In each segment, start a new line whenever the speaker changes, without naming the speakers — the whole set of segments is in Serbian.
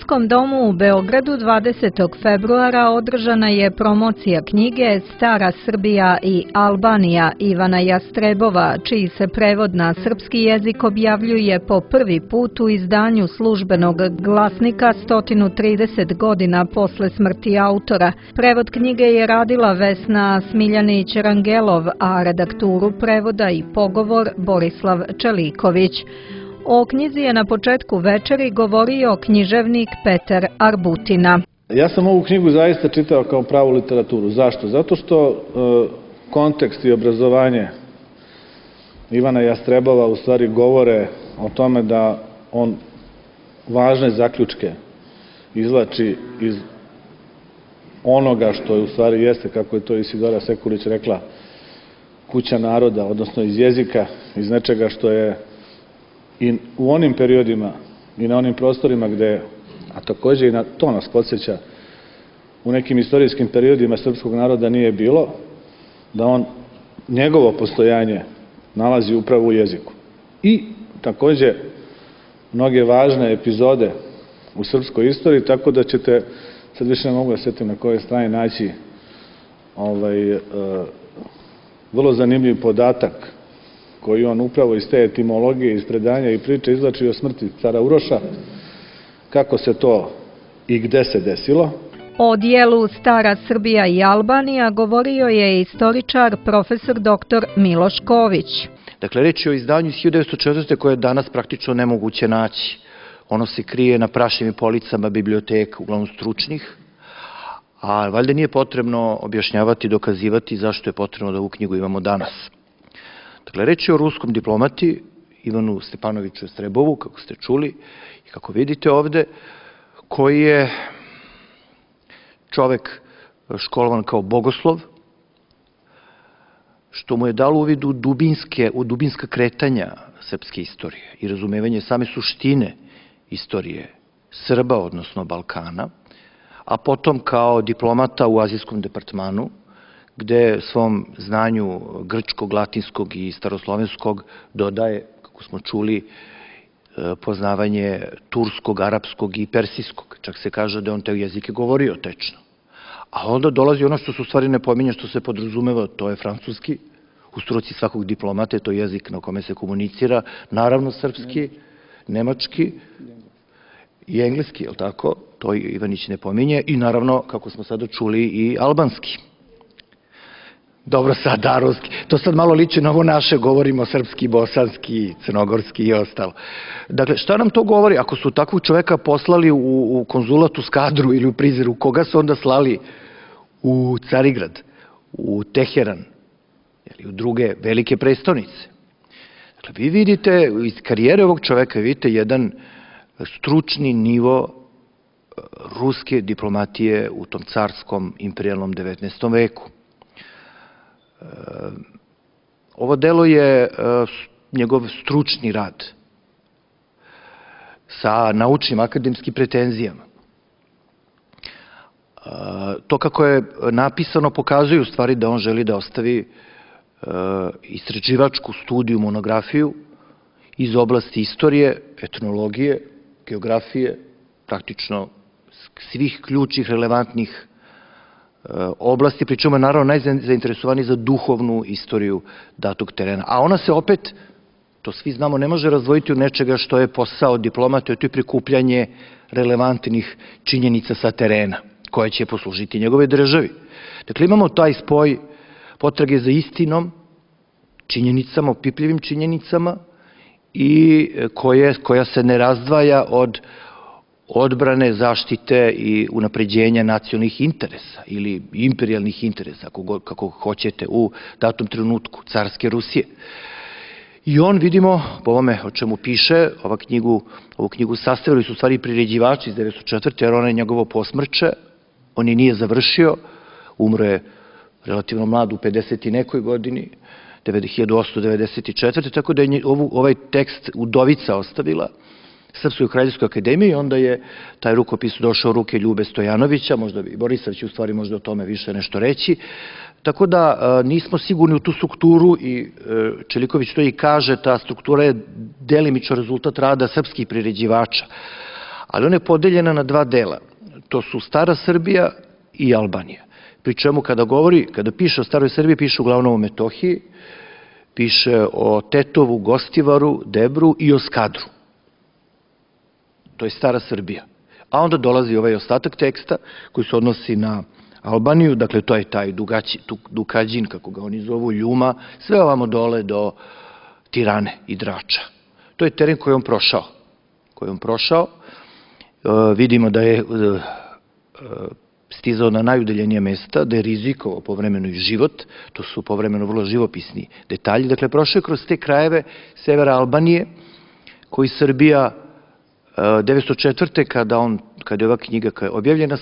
Ruskom domu u Beogradu 20. februara održana je promocija knjige Stara Srbija i Albanija Ivana Jastrebova, čiji se prevod na srpski jezik objavljuje po prvi put u izdanju Službenog glasnika 130 godina posle smrti autora. Prevod knjige je radila Vesna Smiljanić-Rangelov, a redakturu prevoda i pogovor Borislav Čeliković. O knjizi je na početku večeri govorio književnik Petar Arbutina.
Ja sam ovu knjigu zaista čitao kao pravu literaturu. Zašto? Zato što kontekst i obrazovanje Ivana Jastrebova u stvari govore o tome da on važne zaključke izvlači iz onoga što je u stvari jeste, kako je to Isidora Sekulić rekla, kuća naroda, odnosno iz jezika, iz nečega što je i u onim periodima i na onim prostorima gde, a takođe i na to nas podsjeća, u nekim istorijskim periodima srpskog naroda nije bilo, da on njegovo postojanje nalazi upravo u jeziku. I takođe mnoge važne epizode u srpskoj istoriji, tako da ćete, sad više ne mogu da setim na kojoj strani naći vrlo zanimljiv podatak koji on upravo iz te etimologije, iz predanja i priče izvlači o smrti cara Uroša, kako se to i gde se desilo.
O dijelu Stara Srbija i Albanija govorio je istoričar profesor dr. Miloš Ković.
Dakle, reč je o izdanju iz 1904. koje je danas praktično nemoguće naći. Ono se krije na prašnim policama biblioteka, uglavnom stručnih, a valjda nije potrebno objašnjavati i dokazivati zašto je potrebno da ovu knjigu imamo danas. Dakle, reč je o ruskom diplomati Ivanu Stepanoviću Jastrebovu, kako ste čuli i kako vidite ovde, koji je čovek školovan kao bogoslov, što mu je dalo uvid u dubinska kretanja srpske istorije i razumevanje same suštine istorije Srba, odnosno Balkana, a potom kao diplomata u azijskom departmanu, gde svom znanju grčkog, latinskog i staroslovenskog dodaje, kako smo čuli, poznavanje turskog, arapskog i persijskog. Čak se kaže da on te jezike govorio tečno. A onda dolazi ono što se u stvari ne pominje, što se podrazumeva, to je francuski. U struci svakog diplomate, to je jezik na kome se komunicira, naravno srpski, nemački i engleski, je li tako? To Ivanić ne pominje. I naravno, kako smo sada čuli, i albanski. Dobro, sad ruski. To sad malo liči na ovo naše, govorimo srpski, bosanski, crnogorski i ostalo. Dakle, šta nam to govori? Ako su takvog čoveka poslali u konzulat u Skadru ili u Prizren, koga su onda slali u Carigrad, u Teheran, ili u druge velike prestonice? Dakle, vi vidite, iz karijere ovog čoveka vidite jedan stručni nivo ruske diplomatije u tom carskom imperijalnom 19. veku. Ovo delo je njegov stručni rad sa naučnim akademskim pretenzijama. To kako je napisano pokazuje u stvari da on želi da ostavi istraživačku studiju, monografiju iz oblasti istorije, etnologije, geografije, praktično svih ključnih relevantnih oblasti, pri čemu je naravno najzainteresovaniji za duhovnu istoriju datog terena. A ona se opet, to svi znamo, ne može razdvojiti od nečega što je posao diplomata, to je prikupljanje relevantnih činjenica sa terena, koje će poslužiti njegove državi. Dakle, imamo taj spoj potrage za istinom, činjenicama, opipljivim činjenicama i koja se ne razdvaja od odbrane, zaštite i unapređenja nacionalnih interesa ili imperijalnih interesa, kako hoćete, u datom trenutku carske Rusije. I on, vidimo, po ovome o čemu piše, ovu knjigu sastavili su u stvari priređivači iz 1904. jer ona je njegovo posmrće, on je nije završio, umro je relativno mlad u 50 i nekoj godini, 1894. Tako da je ovaj tekst udovica ostavila Srpskoj kraljevskoj akademiji i onda je taj rukopis došao u ruke Ljube Stojanovića, možda i Borisav će u stvari možda o tome više nešto reći. Tako da nismo sigurni u tu strukturu i Čeliković to i kaže, ta struktura je delimično rezultat rada srpskih priređivača. ali ona je podeljena na dva dela. To su Stara Srbija i Albanija. Pri čemu kada piše o Staroj Srbiji, piše uglavnom o Metohiji, piše o Tetovu, Gostivaru, Debru i o Skadru. To je Stara Srbija. A onda dolazi ovaj ostatak teksta koji se odnosi na Albaniju, dakle to je taj Dukađin, kako ga oni zovu, Ljuma, sve ovamo dole do Tirane i Drača. To je teren koji je on prošao. Vidimo da je stizao na najudaljenija mesta, da je rizikovao povremeno i život, to su povremeno vrlo živopisni detalji. Dakle, prošao je kroz te krajeve severa Albanije, koji Srbija 1904. kada je ova knjiga objavljena,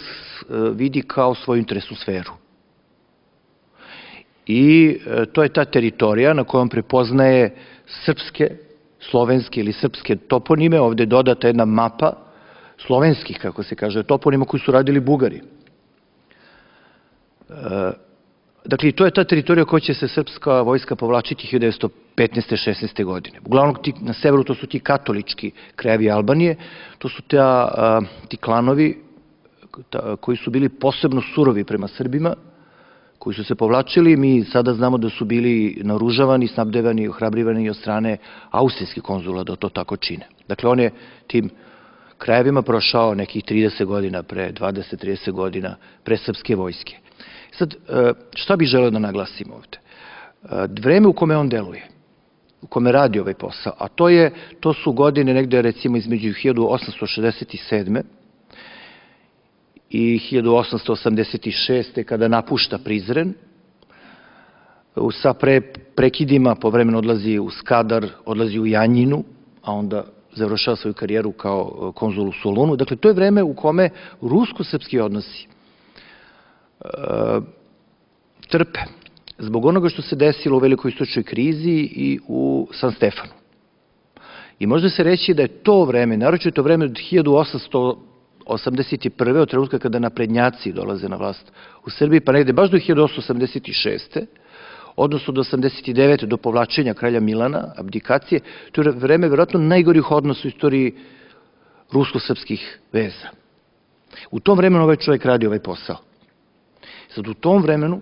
vidi kao svoju interesnu sferu. I to je ta teritorija na kojom prepoznaje srpske, slovenske ili srpske toponime. Ovde je dodata jedna mapa slovenskih, kako se kaže, toponima koji su radili Bugari. Dakle, to je ta teritorija koja će se srpska vojska povlačiti 1915. 16. godine. Uglavnom, na severu to su ti katolički krajevi Albanije, to su ti klanovi koji su bili posebno surovi prema Srbima, koji su se povlačili. Mi sada znamo da su bili naoružavani, snabdevani i ohrabrivani od strane austrijskih konzula da to tako čine. Dakle, on je tim krajevima prošao nekih 30 godina pre, 20-30 godina pre srpske vojske. Sad, šta bih želeo da naglasim ovde? Vreme u kome on deluje, u kome radi ovaj posao, a to su godine negde recimo između 1867. i 1886. kada napušta Prizren, sa prekidima povremeno odlazi u Skadar, odlazi u Janjinu, a onda završava svoju karijeru kao konzul u Solunu. Dakle, to je vreme u kome rusko-srpski odnosi trpe zbog onoga što se desilo u velikoj istočnoj krizi i u San Stefanu. I može se reći da je to vreme, naročito vreme od 1881. od trenutka kada naprednjaci dolaze na vlast u Srbiji, pa negde baš do 1886. odnosno do 89. do povlačenja kralja Milana, abdikacije, to je vreme verovatno najgorih odnosa u istoriji rusko-srpskih veza. U tom vremenu ovaj čovjek radi ovaj posao. Sad, u tom vremenu,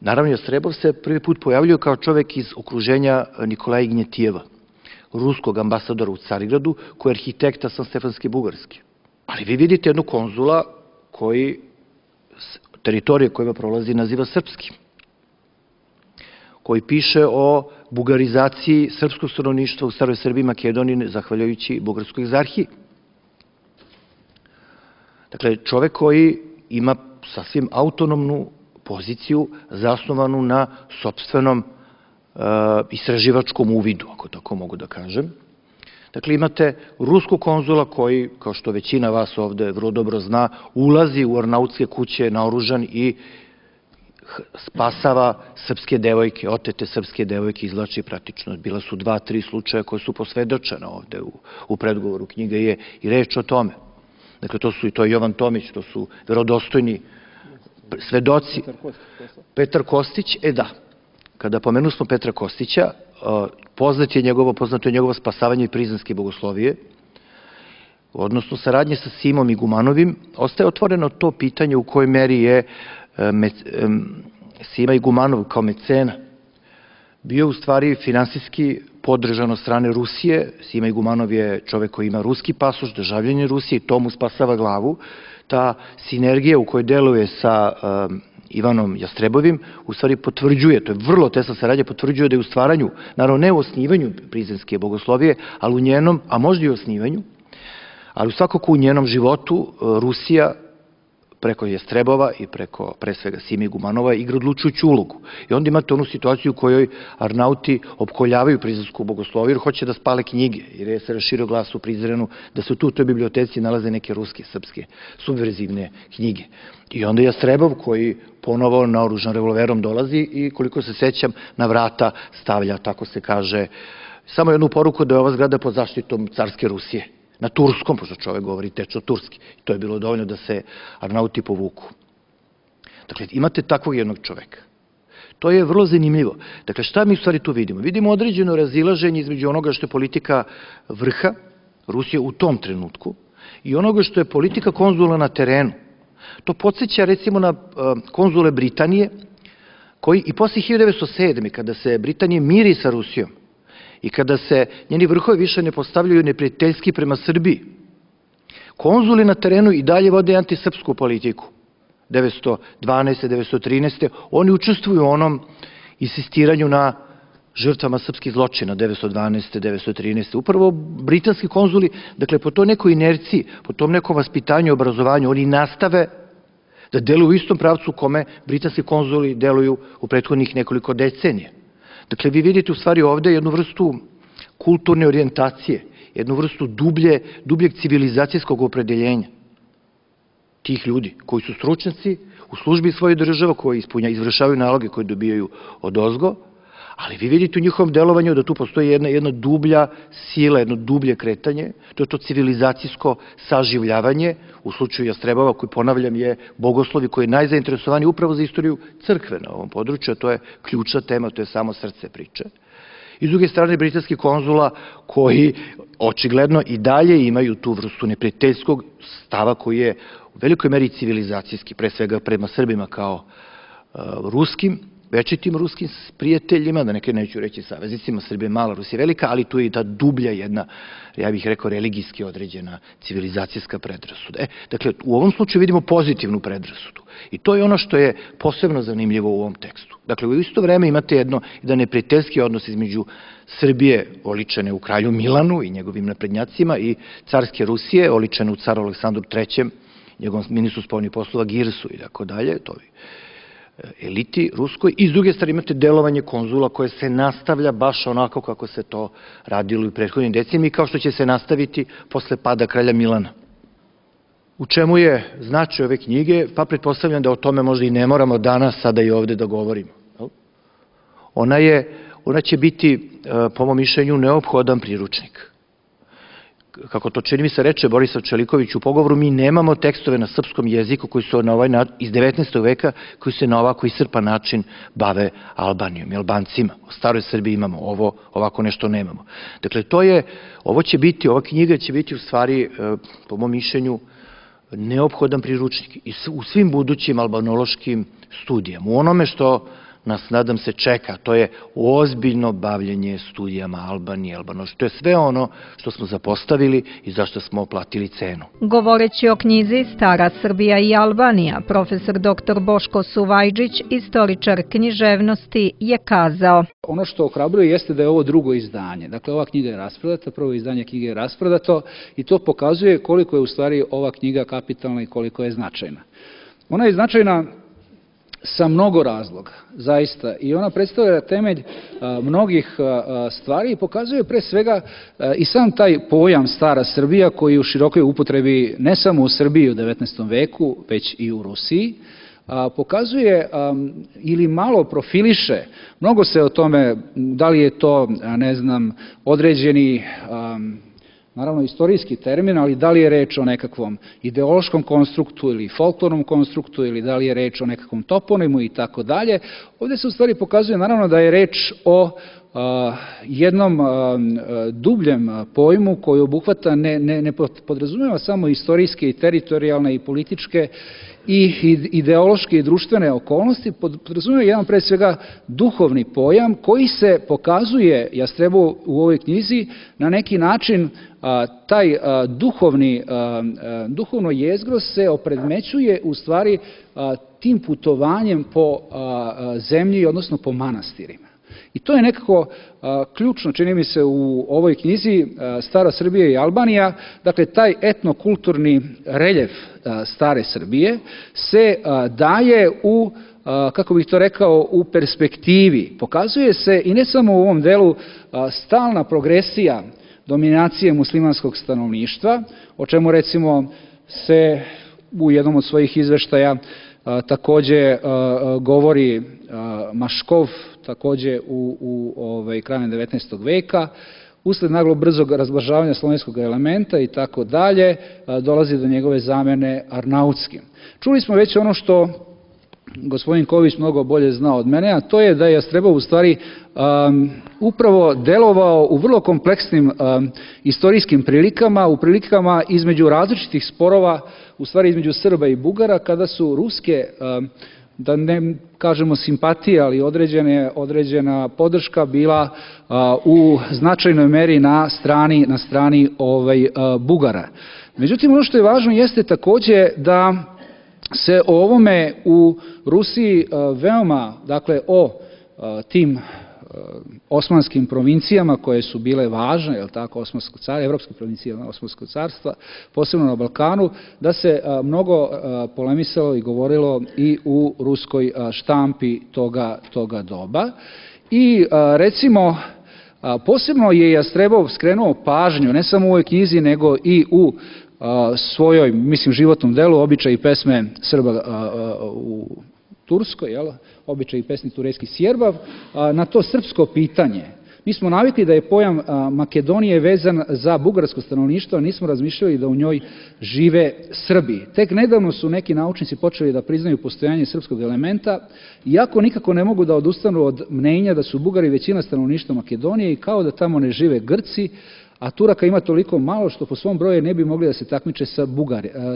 naravno, Jastrebov se prvi put pojavljuje kao čovjek iz okruženja Nikolaja Ignjetijeva, ruskog ambasadora u Carigradu, koji je arhitekta Sanstefanske Bugarske. Ali vi vidite jednu konzula koji teritorije kojima prolazi naziva srpskim, koji piše o bugarizaciji srpskog stanovništva u Staroj Srbiji i Makedoniji zahvaljujući Bugarskoj egzarhiji. Dakle, čovek koji ima sasvim autonomnu poziciju zasnovanu na sopstvenom istraživačkom uvidu, ako tako mogu da kažem. Dakle, imate ruskog konzula koji, kao što većina vas ovde vrlo dobro zna, ulazi u arnautske kuće naoružan i spasava srpske devojke, otete srpske devojke, izvlači praktično. Bila su 2-3 slučaja koje su posvedočena ovde u predgovoru knjige je i reč o tome. Dakle, to je Jovan Tomić, to su verodostojni svedoci. Petar Kostić, da. Kada pomenu smo Petra Kostića, poznato je njegovo spasavanje i Prizrenske bogoslovije, odnosno saradnje sa Simom Igumanovim. Ostaje otvoreno to pitanje u kojoj meri je Sima Igumanov kao mecena bio u stvari finansijski podržan od strane Rusije. Sima Igumanov je čovek koji ima ruski pasoš, državljanin Rusije i to mu spasava glavu. Ta sinergija u kojoj deluje sa Ivanom Jastrebovim u stvari potvrđuje, to je vrlo tesna saradnja, potvrđuje da je u stvaranju, naravno ne u osnivanju Prizrenske bogoslovije, ali u njenom, a možda i u osnivanju, ali svakako u njenom životu Rusija preko Jastrebova i preko pre svega Sime Igumanova igra odlučujuću ulogu. I onda imate onu situaciju u kojoj Arnauti opkoljavaju Prizrensku bogosloviju jer hoće da spale knjige, jer je se raširio glas u Prizrenu da se tu u toj biblioteci nalaze neke ruske, srpske, subverzivne knjige. I onda Jastrebov koji ponovo naoružan revolverom dolazi i koliko se sećam na vrata stavlja, tako se kaže, samo jednu poruku da je ova zgrada pod zaštitom carske Rusije. Na turskom, pošto čovek govori tečno turski. To je bilo dovoljno da se Arnauti povuku. Dakle, imate takvog jednog čoveka. To je vrlo zanimljivo. Dakle, šta mi u stvari tu vidimo? Vidimo određeno razilaženje između onoga što je politika vrha Rusije u tom trenutku. i onoga što je politika konzula na terenu. To podsjeća recimo na konzule Britanije, koji i posle 1907. kada se Britanija miri sa Rusijom i kada se njeni vrhovi više ne postavljaju neprijateljski prema Srbiji, konzuli na terenu i dalje vode antisrpsku politiku. 1912. 1913. oni učestvuju u onom insistiranju na žrtvama srpskih zločina 1912. 1913. Upravo britanski konzuli, dakle po toj nekoj inerciji, po tom nekom vaspitanju i obrazovanju, oni nastave da deluju u istom pravcu u kome britanski konzuli deluju u prethodnih nekoliko decenija. Dakle, vi vidite u stvari ovde jednu vrstu kulturne orijentacije, jednu vrstu dubljeg civilizacijskog opredeljenja tih ljudi koji su stručnjaci u službi svoje države, koji izvršavaju naloge koje dobijaju od ozgo, ali vi vidite u njihovom delovanju da tu postoji jedna dublja sila, jedno dublje kretanje, to je to civilizacijsko saživljavanje, u slučaju Jastrebova, koji, ponavljam, je bogoslov i koji je najzainteresovaniji upravo za istoriju crkve na ovom području, a to je ključna tema, to je samo srce priče. I s druge strane, britanski konzula koji očigledno i dalje imaju tu vrstu neprijateljskog stava koji je u velikoj meri civilizacijski, pre svega prema Srbima kao ruskim, večitim ruskim prijateljima, da neću reći saveznicima, Srbija je mala, Rusija je velika, ali tu je i ta dublja jedna, ja bih rekao, religijski određena civilizacijska predrasuda. Dakle, u ovom slučaju vidimo pozitivnu predrasudu. I to je ono što je posebno zanimljivo u ovom tekstu. Dakle, u isto vreme imate jedan neprijateljski odnos između Srbije, oličene u kralju Milanu i njegovim naprednjacima, i carske Rusije, oličene u caru Aleksandru III, njegovom ministru spoljnih poslova Girsu i tako dalje, to je eliti ruskoj, i s druge strane imate delovanje konzula koje se nastavlja baš onako kako se to radilo i u prethodnim decenijama i kao što će se nastaviti posle pada kralja Milana. U čemu je značaj ove knjige? Pa pretpostavljam da o tome možda i ne moramo danas sada i ovde da govorimo. Ona će biti, po mom mišljenju, neophodan priručnik. Kako to čini mi se reče Borisav Čeliković u pogovoru, mi nemamo tekstove na srpskom jeziku koji su iz 19. veka, koji se na ovako iscrpan način bave Albanijom i Albancima. U staroj Srbiji imamo ovo, ovako nešto nemamo. Dakle, ova knjiga će biti u stvari, po mom mišljenju, neophodan priručnik i u svim budućim albanološkim studijama. U onome što nas, nadam se, čeka, to je ozbiljno bavljenje studijama Albanije, to je sve ono što smo zapostavili i zašto smo platili cenu.
Govoreći o knjizi Stara Srbija i Albanija, profesor dr. Boško Suvajđić, istoričar književnosti, je kazao:
Ono što ohrabruje jeste da je ovo drugo izdanje. Dakle, ova knjiga je rasprodata, prvo izdanje knjige je rasprodato i to pokazuje koliko je u stvari ova knjiga kapitalna i koliko je značajna. Ona je značajna sa mnogo razloga, zaista, i ona predstavlja temelj mnogih stvari i pokazuje pre svega i sam taj pojam Stara Srbija koji je u širokoj upotrebi ne samo u Srbiji u 19. veku, već i u Rusiji, pokazuje ili malo profiliše, mnogo se o tome, da li je to, ne znam, određeni naravno istorijski termin, ali da li je reč o nekakvom ideološkom konstruktu ili folklornom konstruktu ili da li je reč o nekakvom toponimu i tako dalje. Ovdje se u stvari pokazuje naravno da je reč o jednom dubljem pojmu koji obuhvata, ne podrazumeva samo istorijske i teritorijalne i političke i ideološke i društvene okolnosti, podrazumeva jedan pre svega duhovni pojam koji se pokazuje Jastrebov u ovoj knjizi na neki način. Taj duhovno jezgro se opredmećuje u stvari tim putovanjem po zemlji, odnosno po manastirima. I to je nekako ključno, čini mi se, u ovoj knjizi Stara Srbija i Albanija. Dakle, taj etnokulturni reljef Stare Srbije se daje u, kako bih to rekao, u perspektivi. Pokazuje se i ne samo u ovom delu stalna progresija dominacije muslimanskog stanovništva, o čemu recimo se u jednom od svojih izveštaja takođe govori Maškov, takođe krajem 19. veka, usled naglog brzog razblažavanja slovenskog elementa i tako dalje, dolazi do njegove zamene arnautskim. Čuli smo već ono što gospodin Ković mnogo bolje zna od mene, a to je da je Jastrebov u stvari upravo delovao u vrlo kompleksnim istorijskim prilikama, u prilikama između različitih sporova, u stvari između Srba i Bugara, kada su ruske, da ne kažemo simpatije, ali određena podrška bila u značajnoj meri na strani Bugara. Međutim, ono što je važno jeste takođe da se o ovome u Rusiji veoma, dakle o tim osmanskim provincijama koje su bile važne, jel tako, evropske provincije Osmanskog carstva, posebno na Balkanu, da se mnogo polemisalo i govorilo i u ruskoj štampi toga doba. I recimo, posebno je Jastrebov skrenuo pažnju, ne samo u ovoj knjizi, nego i u svojoj, mislim, životnom delu, običaj i pesme Srba u Turskoj, običaj i pesmi turejski Sjerbav, na to srpsko pitanje. Mi smo navikli da je pojam Makedonije vezan za bugarsko stanovništvo, a nismo razmišljali da u njoj žive Srbi. Tek nedavno su neki naučnici počeli da priznaju postojanje srpskog elementa, iako nikako ne mogu da odustanu od mnenja da su Bugari većina stanovništva Makedonije i kao da tamo ne žive Grci, a Turaka ima toliko malo što po svom broju ne bi mogli da se takmiče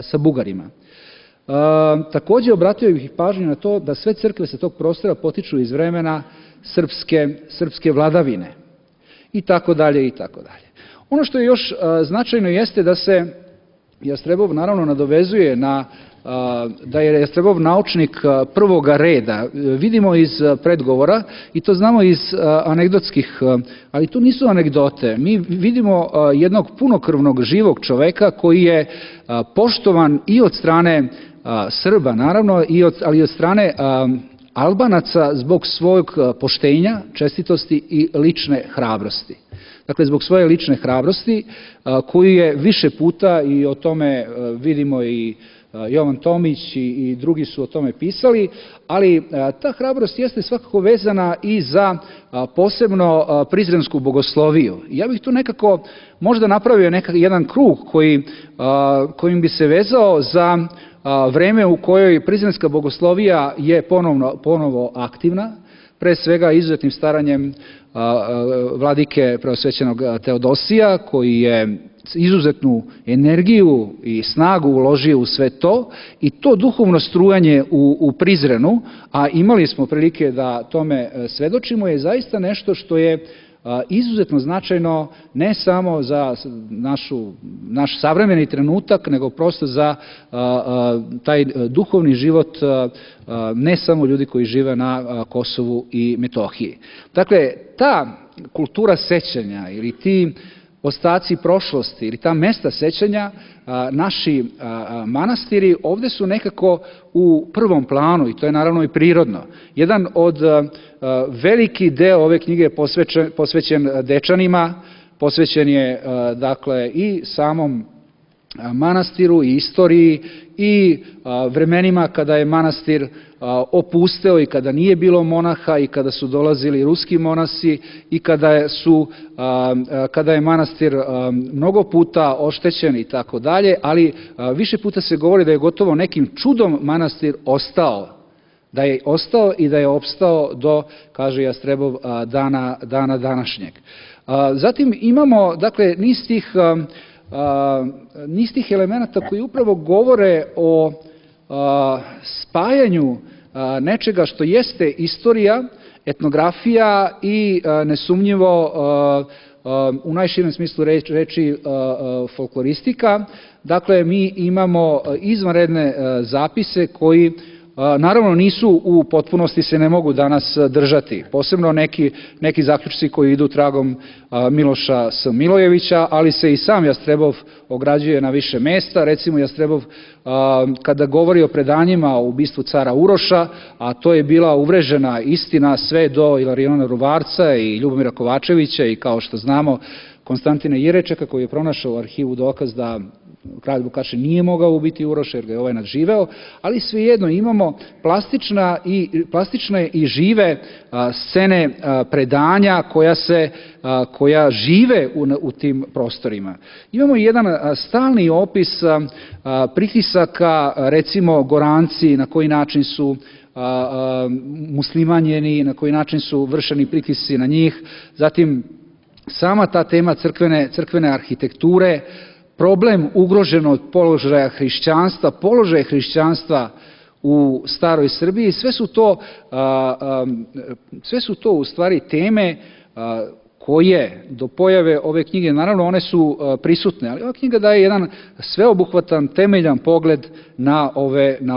sa Bugarima. Takođe obratio bih pažnju na to da sve crkve sa tog prostora potiču iz vremena srpske vladavine i tako dalje i tako dalje. Ono što je još značajno jeste da se Jastrebov naravno nadovezuje na da je Jastrebov naučnik prvoga reda. Vidimo iz predgovora i to znamo iz anegdotskih, ali to nisu anegdote. Mi vidimo jednog punokrvnog živog čoveka koji je poštovan i od strane Srba, naravno, ali i od strane Albanaca zbog svog poštenja, čestitosti i lične hrabrosti. Dakle, zbog svoje lične hrabrosti koju je više puta, i o tome vidimo i Jovan Tomić i drugi su o tome pisali, ali ta hrabrost jeste svakako vezana i za posebno prizrensku bogosloviju. Ja bih tu nekako možda napravio jedan krug kojim bi se vezao za vreme u kojoj prizrenska bogoslovija je ponovo aktivna, pre svega izuzetnim staranjem vladike preosvećenog Teodosija, koji je izuzetnu energiju i snagu uložio u sve to, i to duhovno strujanje u Prizrenu, a imali smo prilike da tome svedočimo, je zaista nešto što je izuzetno značajno ne samo za naš savremeni trenutak, nego prosto za taj duhovni život ne samo ljudi koji žive na Kosovu i Metohiji. Dakle, ta kultura sećanja ili ti ostaci prošlosti ili ta mesta sećanja, naši manastiri ovde su nekako u prvom planu, i to je naravno i prirodno. Jedan od veliki deo ove knjige je posvećen Dečanima, posvećen je dakle i samom manastiru i istoriji i vremenima kada je manastir opusteo i kada nije bilo monaha i kada su dolazili ruski monasi i kada je manastir mnogo puta oštećen i tako dalje, ali više puta se govori da je gotovo nekim čudom manastir ostao, da je ostao i da je opstao do, kaže Jastrebov, dana današnjeg. Zatim imamo, dakle, niz tih elemenata koji upravo govore o spajanju nečega što jeste istorija, etnografija i nesumnjivo u najširem smislu reči folkloristika. Dakle, mi imamo izvanredne zapise koji naravno nisu u potpunosti, se ne mogu danas držati, posebno neki zaključci koji idu tragom Miloša S. Milojevića, ali se i sam Jastrebov ograđuje na više mesta. Recimo, Jastrebov kada govori o predanjima o ubistvu cara Uroša, a to je bila uvrežena istina sve do Ilariona Ruvarca i Ljubomira Kovačevića i, kao što znamo, Konstantina Jirečeka, koji je pronašao u arhivu dokaz da kralj Vukašin nije mogao ubiti Uroša jer ga je ovaj nadživeo, ali svejedno imamo plastične i žive scene predanja koja žive u tim prostorima. Imamo jedan stalni opis pritisaka, recimo Goranci, na koji način su muslimanjeni, na koji način su vršeni pritisci na njih, zatim sama ta tema crkvene arhitekture, problem ugroženog položaja hrišćanstva u staroj Srbiji, sve su to u stvari teme koje do pojave ove knjige, naravno one su prisutne, ali ova knjiga daje jedan sveobuhvatan, temeljan pogled na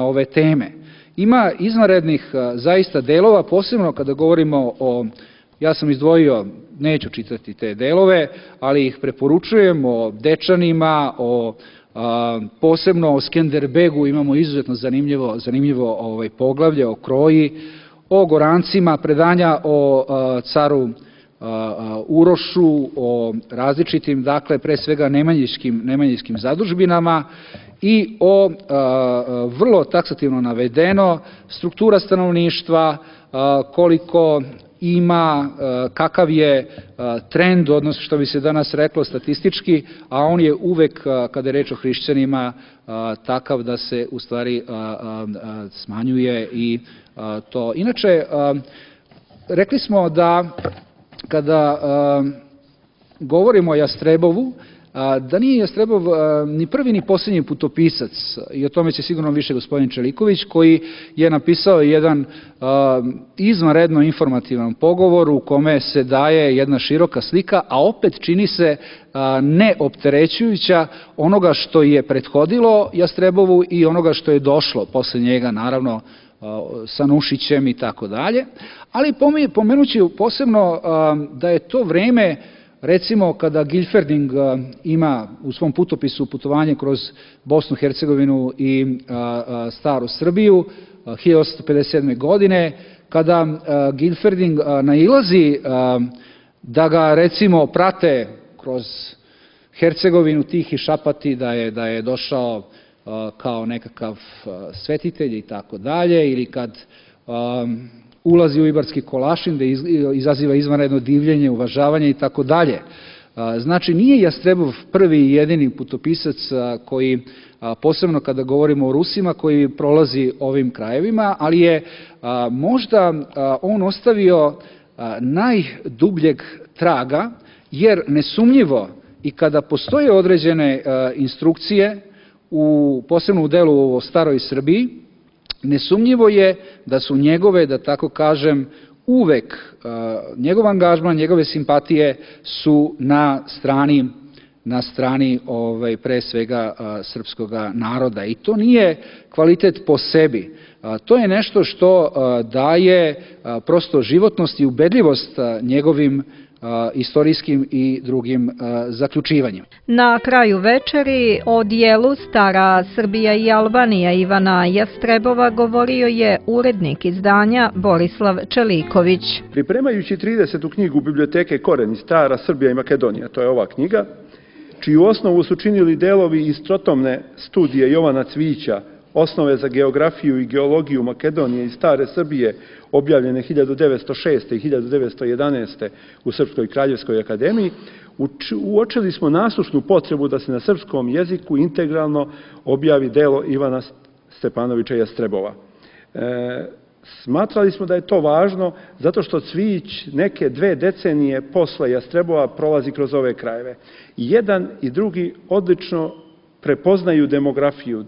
ove teme. Ima izvanrednih zaista delova, posebno kada govorimo o, ja sam izdvojio, neću čitati te delove, ali ih preporučujem, o Dečanima, posebno o Skenderbegu, imamo izuzetno zanimljivo poglavlje o Kroji, o Gorancima, predanja o caru Urošu, o različitim, dakle, pre svega nemanjiškim zadužbinama i o vrlo taksativno navedeno struktura stanovništva, koliko ima, kakav je trend, odnosno što bi se danas reklo statistički, a on je uvek, kada je reč o hrišćanima, takav da se u stvari smanjuje i to. Inače, rekli smo da kada govorimo o Jastrebovu, da nije Jastrebov ni prvi ni posljednji putopisac, i o tome će sigurno više gospodin Čeliković, koji je napisao jedan izvanredno informativan pogovor u kome se daje jedna široka slika, a opet čini se neopterećujuća onoga što je prethodilo Jastrebovu i onoga što je došlo posle njega, naravno sa Nušićem i tako dalje, ali pomenući posebno da je to vreme, recimo kada Gilferding ima u svom putopisu putovanje kroz Bosnu, Hercegovinu i staru Srbiju 1857. godine, kada Gilferding nailazi da ga recimo prate kroz Hercegovinu Tihi Šapati, da je došao kao nekakav svetitelj i tako dalje, ili kad ulazi u Ibarski Kolašin, da izaziva izvanredno divljenje, uvažavanje i tako dalje. Znači, nije Jastrebov prvi i jedini putopisac koji, posebno kada govorimo o Rusima, koji prolazi ovim krajevima, ali je možda on ostavio najdubljeg traga, jer nesumnjivo i kada postoje određene instrukcije, posebno u delu o staroj Srbiji, nesumnjivo je da su njegove, da tako kažem, uvek njegov angažman, njegove simpatije su na strani pre svega srpskog naroda. I to nije kvalitet po sebi. To je nešto što daje prosto životnost i ubedljivost njegovim istorijskim i drugim zaključivanjem.
Na kraju večeri o dijelu Stara Srbija i Albanija Ivana Jastrebova govorio je urednik izdanja Borislav Čeliković.
Pripremajući 30. knjigu biblioteke Koreni Stara Srbija i Makedonija, to je ova knjiga, čiju osnovu su činili delovi iz trotomne studije Jovana Cvića, Osnove za geografiju i geologiju Makedonije i Stare Srbije, objavljene 1906. i 1911. u Srpskoj kraljevskoj akademiji, uočili smo nasušnu potrebu da se na srpskom jeziku integralno objavi delo Ivana Stepanovića Jastrebova. Smatrali smo da je to važno zato što Cvijić neke 2 decenije posle Jastrebova prolazi kroz ove krajeve. I jedan i drugi odlično prepoznaju demografiju,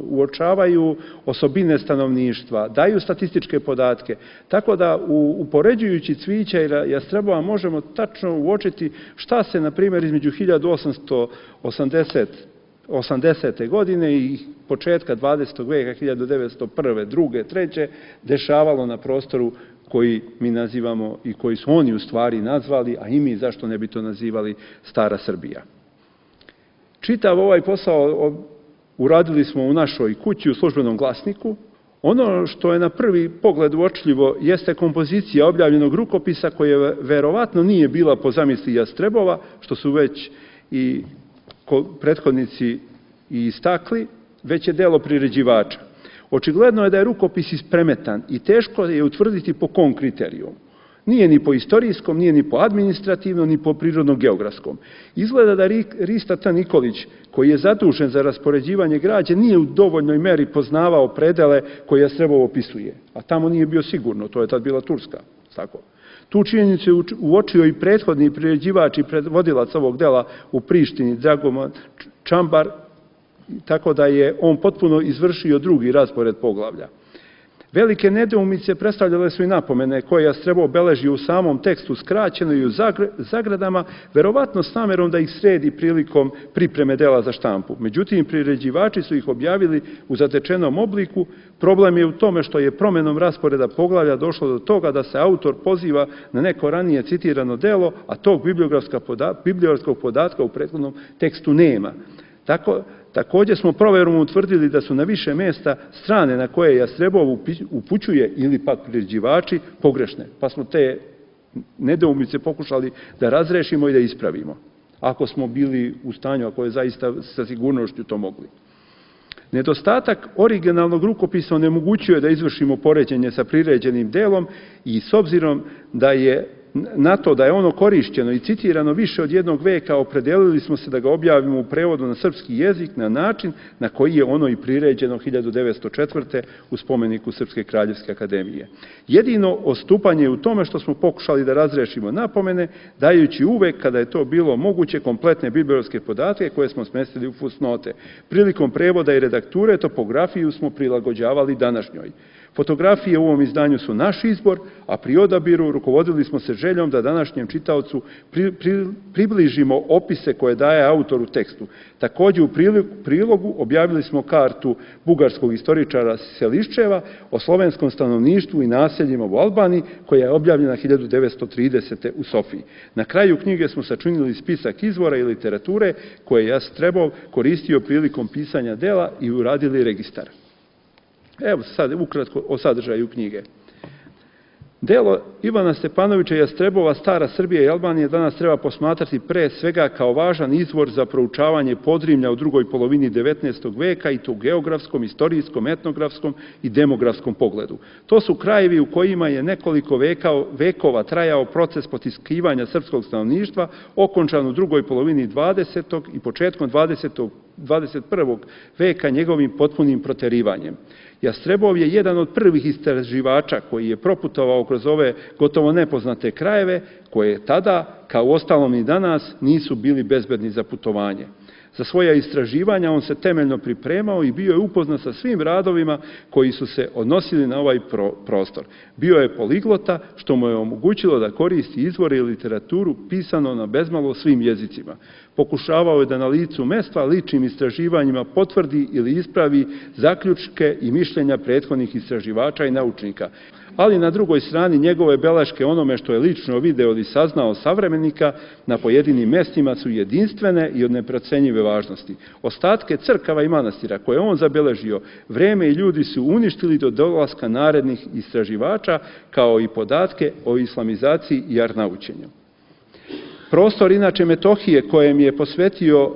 uočavaju osobine stanovništva, daju statističke podatke, tako da upoređujući Cvijića i Jastrebova možemo tačno uočiti šta se, na primjer, između 1880. godine i početka 20. veka, 1901., 2., 3. dešavalo na prostoru koji mi nazivamo i koji su oni u stvari nazvali, a i mi zašto ne bi to nazivali Stara Srbija. Čitav ovaj posao uradili smo u našoj kući, u Službenom glasniku. Ono što je na prvi pogled uočljivo jeste kompozicija objavljenog rukopisa koja verovatno nije bila po zamisli Jastrebova, što su već i prethodnici i istakli, već je delo priređivača. Očigledno je da je rukopis ispremetan i teško je utvrditi po kom kriterijumu. Nije ni po istorijskom, nije ni po administrativnom, ni po prirodno-geografskom. Izgleda da Rista T. Nikolić, koji je zadužen za raspoređivanje građe, nije u dovoljnoj meri poznavao predele koje Jastrebov opisuje. A tamo nije bio sigurno, to je tad bila Turska. Tako. Tu činjenicu je uočio i prethodni priređivač i predvodilac ovog dela u Prištini, Dragoman Čambar, tako da je on potpuno izvršio drugi raspored poglavlja. Velike nedoumice predstavljale su i napomene koje Jastrebov beleži u samom tekstu skraćeno i u zagradama, verovatno s namerom da ih sredi prilikom pripreme dela za štampu. Međutim, priređivači su ih objavili u zatečenom obliku. Problem je u tome što je promenom rasporeda poglavlja došlo do toga da se autor poziva na neko ranije citirano delo, a tog bibliografskog podatka u prethodnom tekstu nema. Također smo proverom utvrdili da su na više mjesta strane na koje Jastrebov upućuje ili pak priređivači pogrešne, pa smo te nedoumice pokušali da razrešimo i da ispravimo, ako smo bili u stanju, ako je zaista sa sigurnošću to mogli. Nedostatak originalnog rukopisa onemogućuje da izvršimo poređenje sa priređenim delom i s obzirom da je na to da je ono korišćeno i citirano više od jednog veka, opredelili smo se da ga objavimo u prevodu na srpski jezik na način na koji je ono i priređeno 1904. u spomeniku Srpske kraljevske akademije. Jedino odstupanje je u tome što smo pokušali da razrešimo napomene, dajući uvek, kada je to bilo moguće, kompletne bibliografske podatke koje smo smestili u fusnote. Prilikom prevoda i redakture topografiju smo prilagođavali današnjoj. Fotografije u ovom izdanju su naš izbor, a pri odabiru rukovodili smo se željom da današnjem čitaocu približimo opise koje daje autor u tekstu. Također u prilogu objavili smo kartu bugarskog istoričara Seliščeva o slovenskom stanovništvu i naseljima u Albaniji, koja je objavljena 1930. u Sofiji. Na kraju knjige smo sačinili spisak izvora i literature koje je Jastrebov koristio prilikom pisanja dela i uradili registar. Evo sad ukratko o sadržaju knjige. Delo Ivana Stepanovića Jastrebova Stara Srbija i Albanija danas treba posmatrati pre svega kao važan izvor za proučavanje Podrinja u drugoj polovini 19. veka i to u geografskom, istorijskom, etnografskom i demografskom pogledu. To su krajevi u kojima je nekoliko vekova trajao proces potiskivanja srpskog stanovništva, okončan u drugoj polovini 20. i početkom 21. veka njegovim potpunim proterivanjem. Jastrebov je jedan od prvih istraživača koji je proputovao kroz ove gotovo nepoznate krajeve, koje tada, kao uostalom i danas, nisu bili bezbedni za putovanje. Za svoja istraživanja on se temeljno pripremao i bio je upoznat sa svim radovima koji su se odnosili na ovaj prostor. Bio je poliglota, što mu je omogućilo da koristi izvore i literaturu pisano na bezmalo svim jezicima. Pokušavao je da na licu mesta ličnim istraživanjima potvrdi ili ispravi zaključke i mišljenja prethodnih istraživača i naučnika. Ali na drugoj strani njegove beleške onome što je lično video ili saznao savremenika na pojedinim mestima su jedinstvene i od neprocenjive važnosti. Ostatke crkava i manastira koje on zabeležio, vreme i ljudi su uništili do dolaska narednih istraživača, kao i podatke o islamizaciji i arnaučenju. Prostor, inače Metohije, kojem je posvetio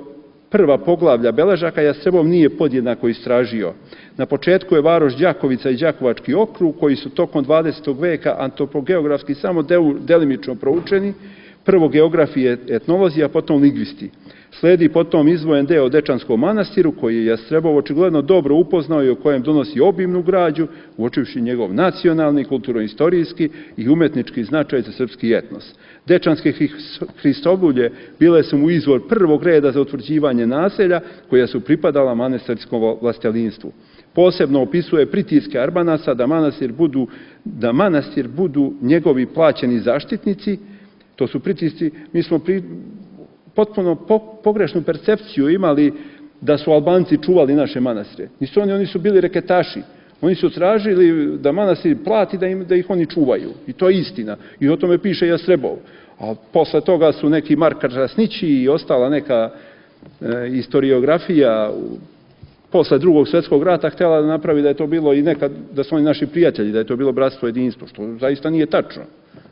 prva poglavlja beležaka, Jastrebov nije podjednako istražio. Na početku je varoš Đakovica i Đakovački okrug, koji su tokom 20. veka antropogeografski samo delimično proučeni, prvo geografije etnolozi, a potom lingvisti. Sledi potom izdvojen deo o Dečanskom manastiru, koji je Jastrebov očigledno dobro upoznao i o kojem donosi obimnu građu, uočivši njegov nacionalni, kulturno-istorijski i umetnički značaj za srpski etnos. Dečanske hristolulje bile su mu izvor prvog reda za utvrđivanje naselja, koja su pripadala manastirskom vlastelinstvu. Posebno opisuje pritiske Arbanasa da manastir budu njegovi plaćeni zaštitnici. To su pritisci, mi smo potpuno pogrešnu percepciju imali da su Albanci čuvali naše manastire. Nisu oni su bili reketaši. Oni su tražili da manastir plati da ih oni čuvaju. I to je istina. I o tome piše Jastrebov. A posle toga su neki Marka Rasnići i ostala neka historiografija posle Drugog svjetskog rata htjela da napravi da je to bilo i nekad, da su oni naši prijatelji, da je to bilo bratstvo, jedinstvo, što zaista nije tačno.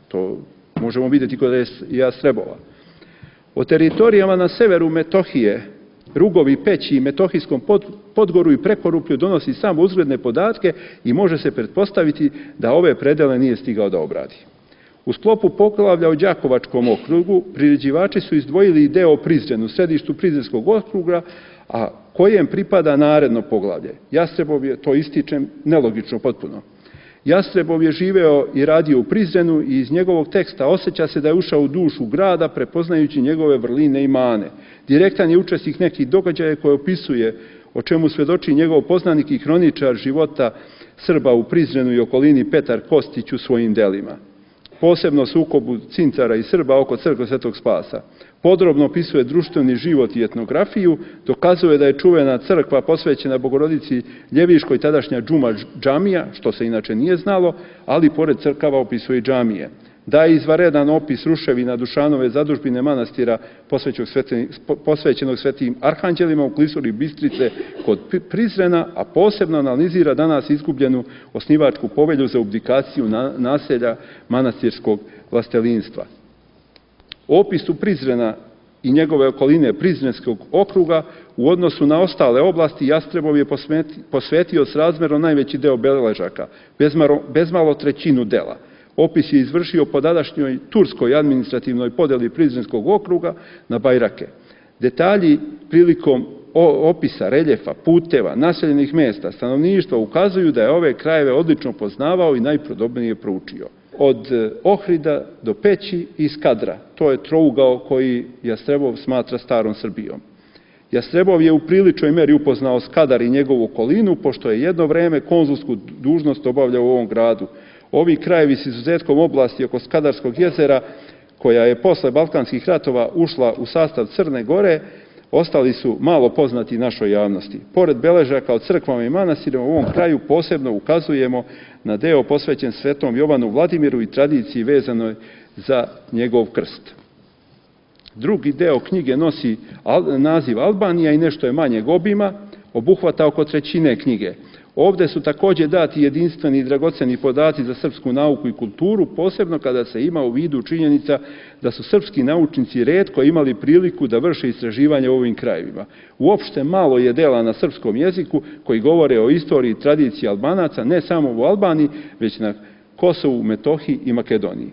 To možemo vidjeti kod Jastrebova. O teritorijama na severu Metohije Rugovi, Peći i Metohijskom Podgoru i Prekoruplju donosi samo uzgledne podatke i može se pretpostaviti da ove predele nije stigao da obradi. U sklopu poglavlja o Đakovačkom okrugu priređivači su izdvojili i deo o Prizrenu, središtu Prizrenskog okruga, a kojem pripada naredno poglavlje. Jastrebov je, to ističem, nelogično potpuno. Jastrebov je živeo i radio u Prizrenu i iz njegovog teksta osjeća se da je ušao u dušu grada prepoznajući njegove vrline i mane. Direktan je učesnik nekih događaja koje opisuje, o čemu svedoči njegov poznanik i hroničar života Srba u Prizrenu i okolini Petar Kostić u svojim delima. Posebno sukobu Cincara i Srba oko crkve Svetog Spasa. Podrobno opisuje društveni život i etnografiju, dokazuje da je čuvena crkva posvećena Bogorodici Ljeviškoj, tadašnja džuma džamija, što se inače nije znalo, ali pored crkava opisuje i džamije. Daje izvanredan opis ruševina Dušanove zadužbine manastira posvećenog svetim arhanđelima u klisuri Bistrice kod Prizrena, a posebno analizira danas izgubljenu osnivačku povelju za abdikaciju naselja manastirskog vlastelinstva. Opisu Prizrena i njegove okoline Prizrenskog okruga u odnosu na ostale oblasti Jastrebov je posvetio srazmerno najveći deo beležaka, bezmalo trećinu dela. Opis je izvršio po tadašnjoj turskoj administrativnoj podeli Prizrenskog okruga na bajrake. Detalji prilikom opisa reljefa, puteva, naseljenih mesta, stanovništva ukazuju da je ove krajeve odlično poznavao i najpodrobnije proučio. Od Ohrida do Peći i Skadra, to je trougao koji Jastrebov smatra starom Srbijom. Jastrebov je u priličnoj meri upoznao Skadar i njegovu okolinu, pošto je jedno vreme konzulsku dužnost obavljao u ovom gradu. Ovi krajevi s izuzetkom oblasti oko Skadarskog jezera, koja je posle Balkanskih ratova ušla u sastav Crne Gore, ostali su malo poznati našoj javnosti. Pored beležaka o crkvama i manastirima u ovom kraju posebno ukazujemo na deo posvećen svetom Jovanu Vladimiru i tradiciji vezanoj za njegov krst. Drugi deo knjige nosi naziv Albanija i nešto je manjeg obima, obuhvata oko trećine knjige. Ovde su takođe dati jedinstveni i dragoceni podaci za srpsku nauku i kulturu, posebno kada se ima u vidu činjenica da su srpski naučnici retko imali priliku da vrše istraživanje u ovim krajevima. Uopšte malo je dela na srpskom jeziku koji govore o istoriji i tradiciji Albanaca, ne samo u Albaniji, već na Kosovu, Metohiji i Makedoniji.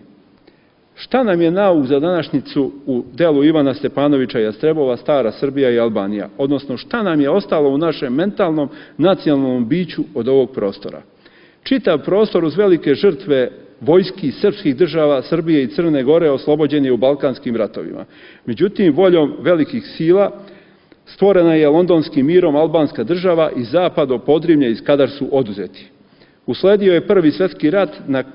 Šta nam je nauk za današnjicu u delu Ivana Stepanovića Jastrebova, Stara Srbija i Albanija? Odnosno, šta nam je ostalo u našem mentalnom, nacionalnom biću od ovog prostora? Čitav prostor uz velike žrtve vojski srpskih država Srbije i Crne Gore oslobođen je u Balkanskim ratovima. Međutim, voljom velikih sila stvorena je Londonskim mirom albanska država i zapad od Podrinja i Skadar su oduzeti. Usledio je Prvi svjetski rat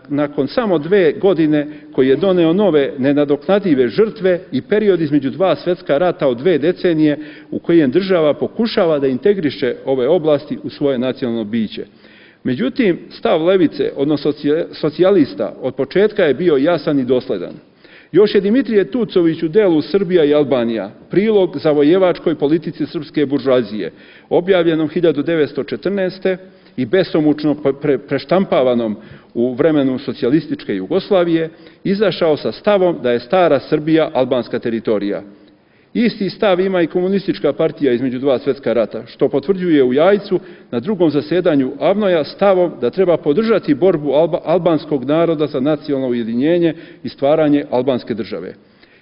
nakon samo 2 godine koji je doneo nove nenadoknadive žrtve i period između 2 svjetska rata od 2 decenije u kojem država pokušava da integriše ove oblasti u svoje nacionalno biće. Međutim, stav levice, odnosno socijalista, od početka je bio jasan i dosledan. Još je Dimitrije Tucović u delu Srbija i Albanija, prilog zavojevačkoj politici srpske buržoazije, objavljenom 1914. i besomučno preštampavanom u vremenu socijalističke Jugoslavije, izašao sa stavom da je Stara Srbija albanska teritorija. Isti stav ima i komunistička partija između 2 svjetska rata, što potvrđuje u Jajcu na 2. zasedanju Avnoja stavom da treba podržati borbu albanskog naroda za nacionalno ujedinjenje i stvaranje albanske države.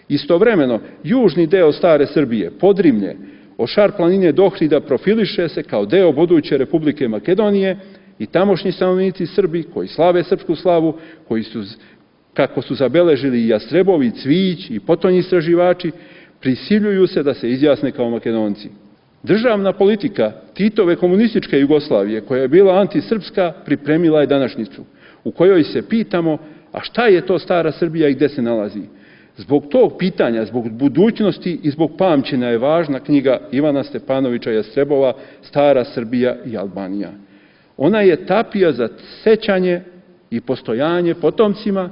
Istovremeno, južni deo Stare Srbije, Podrinje, od Šar planine do Ohrida profiliše se kao deo buduće Republike Makedonije i tamošnji stanovnici Srbi koji slave srpsku slavu, koji su, kako su zabeležili i Jastrebovi, Cvijić i potonji istraživači, prisiljuju se da se izjasne kao Makedonci. Državna politika Titove komunističke Jugoslavije, koja je bila antisrpska, pripremila je današnjicu, u kojoj se pitamo, a šta je to Stara Srbija i gde se nalazi? Zbog tog pitanja, zbog budućnosti i zbog pamćenja je važna knjiga Ivana Stepanovića Jastrebova Stara Srbija i Albanija. Ona je tapija za sećanje i postojanje potomcima.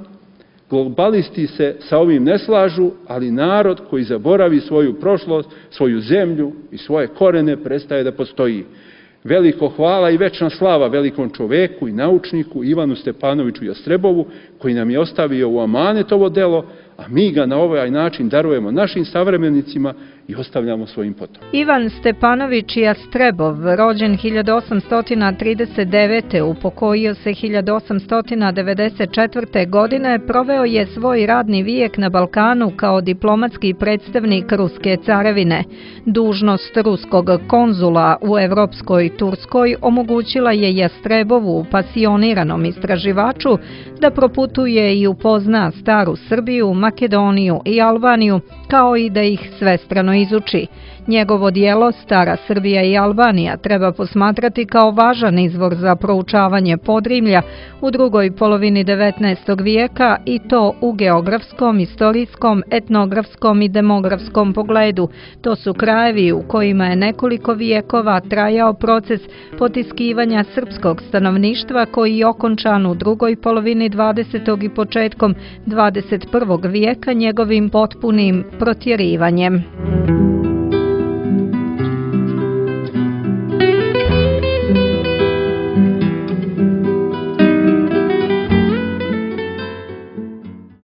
Globalisti se sa ovim ne slažu, ali narod koji zaboravi svoju prošlost, svoju zemlju i svoje korene prestaje da postoji. Veliko hvala i večna slava velikom čoveku i naučniku Ivanu Stepanoviću Jastrebovu, koji nam je ostavio u amanet ovo delo, a mi ga na ovaj način darujemo našim savremenicima i ostavljamo svojim potomcima.
Ivan Stepanović Jastrebov, rođen 1839. upokojio se 1894. godine, proveo je svoj radni vijek na Balkanu kao diplomatski predstavnik Ruske carevine. Dužnost ruskog konzula u Evropskoj Turskoj omogućila je Jastrebovu, pasioniranom istraživaču, da proputuje i upozna staru Srbiju, Makedoniju i Albaniju, kao i da ih svestrano izuči. Njegovo dijelo Stara Srbija i Albanija treba posmatrati kao važan izvor za proučavanje Podrinja u drugoj polovini 19. vijeka i to u geografskom, istorijskom, etnografskom i demografskom pogledu. To su krajevi u kojima je nekoliko vijekova trajao proces potiskivanja srpskog stanovništva koji je okončan u drugoj polovini 20. i početkom 21. vijeka njegovim potpunim protjerivanjem.